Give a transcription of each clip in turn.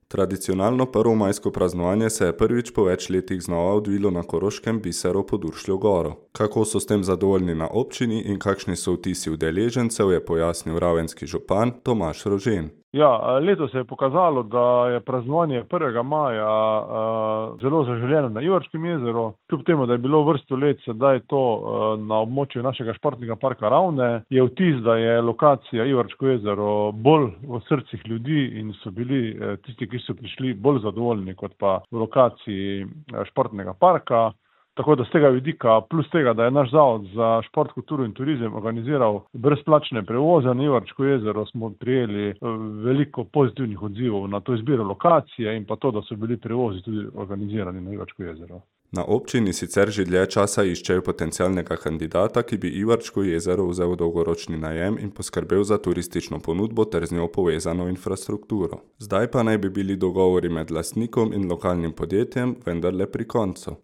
Tradicionalno prvomajsko praznovanje se je prvič po več letih znova odvilo na koroškem biseru Poduršljo goro. Kako so s tem zadovoljni na občini in kakšni so vtisi udeležencev, je pojasnil ravenski župan Tomaž Rožen. Ja, letos se je pokazalo, da je praznovanje 1. maja zelo zaželeno na Ivarškem jezeru. Kljub temu, da je bilo vrsto let sedaj to na območju našega športnega parka Ravne, je vtis, da je lokacija Ivarško jezero bolj v srcih ljudi in so bili tisti, ki so prišli, bolj zadovoljni kot pa v lokaciji športnega parka. Tako da z tega vidika, plus tega, da je naš zavod za šport, kulturo in turizem organiziral brezplačne prevoze na Ivarško jezero, smo prijeli veliko pozitivnih odzivov na to izbiro lokacije in pa to, da so bili prevozi tudi organizirani na Ivarško jezero. Na občini sicer že dlje časa iščejo potencialnega kandidata, ki bi Ivarško jezero vzel v dolgoročni najem in poskrbel za turistično ponudbo ter z njo povezano infrastrukturo. Zdaj pa naj bi bili dogovori med lastnikom in lokalnim podjetjem vendarle pri koncu.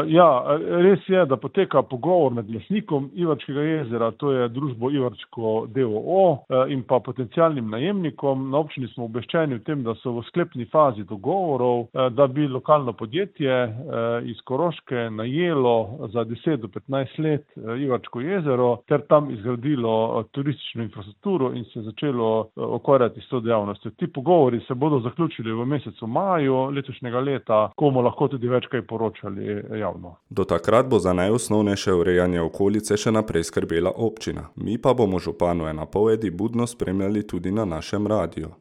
Ja, res je, da poteka pogovor med lastnikom Ivarškega jezera, to je družbo Ivarško d.o.o. In pa potencialnim najemnikom. Na občini smo obveščeni o tem, da so v sklepni fazi dogovorov, da bi lokalno podjetje iz Koroške najelo za 10 do 15 let Ivarško jezero ter tam izgradilo turistično infrastrukturo in se začelo ukvarjati s to dejavnostjo. Ti pogovori se bodo zaključili v mesecu maju letošnjega leta, ko bomo lahko tudi več kaj poročali javno. Do takrat bo za najosnovnejše urejanje okolice še naprej skrbela občina. Mi pa bomo županove napovedi budno spremljali tudi na našem radiju.